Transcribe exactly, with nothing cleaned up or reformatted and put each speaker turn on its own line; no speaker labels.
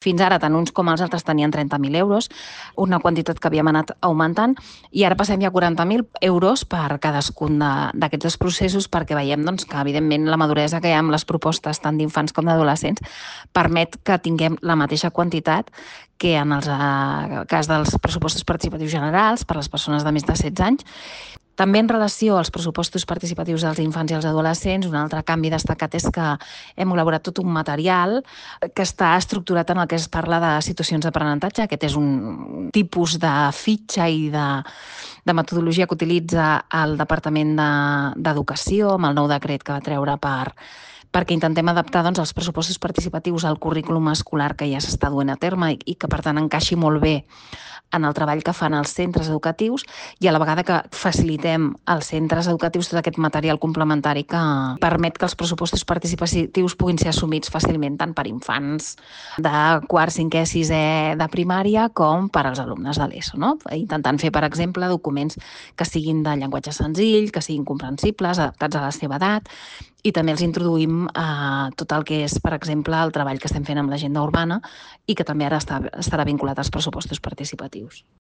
Fins ara, tant uns com els altres tenien trenta mil euros, una quantitat que havíem anat augmentant, i ara passem ja a quaranta mil euros per cadascun d'aquests dos processos, perquè veiem doncs, que, evidentment, la maduresa que hi ha amb les propostes tant d'infants com d'adolescents permet que tinguem la mateixa quantitat que en el cas dels pressupostos participatius generals per a les persones de més de setze anys. També en relació als pressupostos participatius dels infants i els adolescents, un altre canvi destacat és que hem elaborat tot un material que està estructurat en el que es parla de situacions d'aprenentatge. Aquest és un tipus de fitxa i de, de metodologia que utilitza el Departament d'Educació amb el nou decret que va treure per perquè intentem adaptar doncs, els pressupostos participatius al currículum escolar que ja s'està duent a terme i, i que, per tant, encaixi molt bé en el treball que fan els centres educatius, i a la vegada que facilitem als centres educatius tot aquest material complementari que permet que els pressupostos participatius puguin ser assumits fàcilment tant per infants de quart, cinquè, sisè de primària com per als alumnes de l'ESO, no? Intentant fer, per exemple, documents que siguin de llenguatge senzill, que siguin comprensibles, adaptats a la seva edat, i també els introduïm eh, tot el que és, per exemple, el treball que estem fent amb l'agenda urbana i que també ara està, estarà vinculat als pressupostos participatius.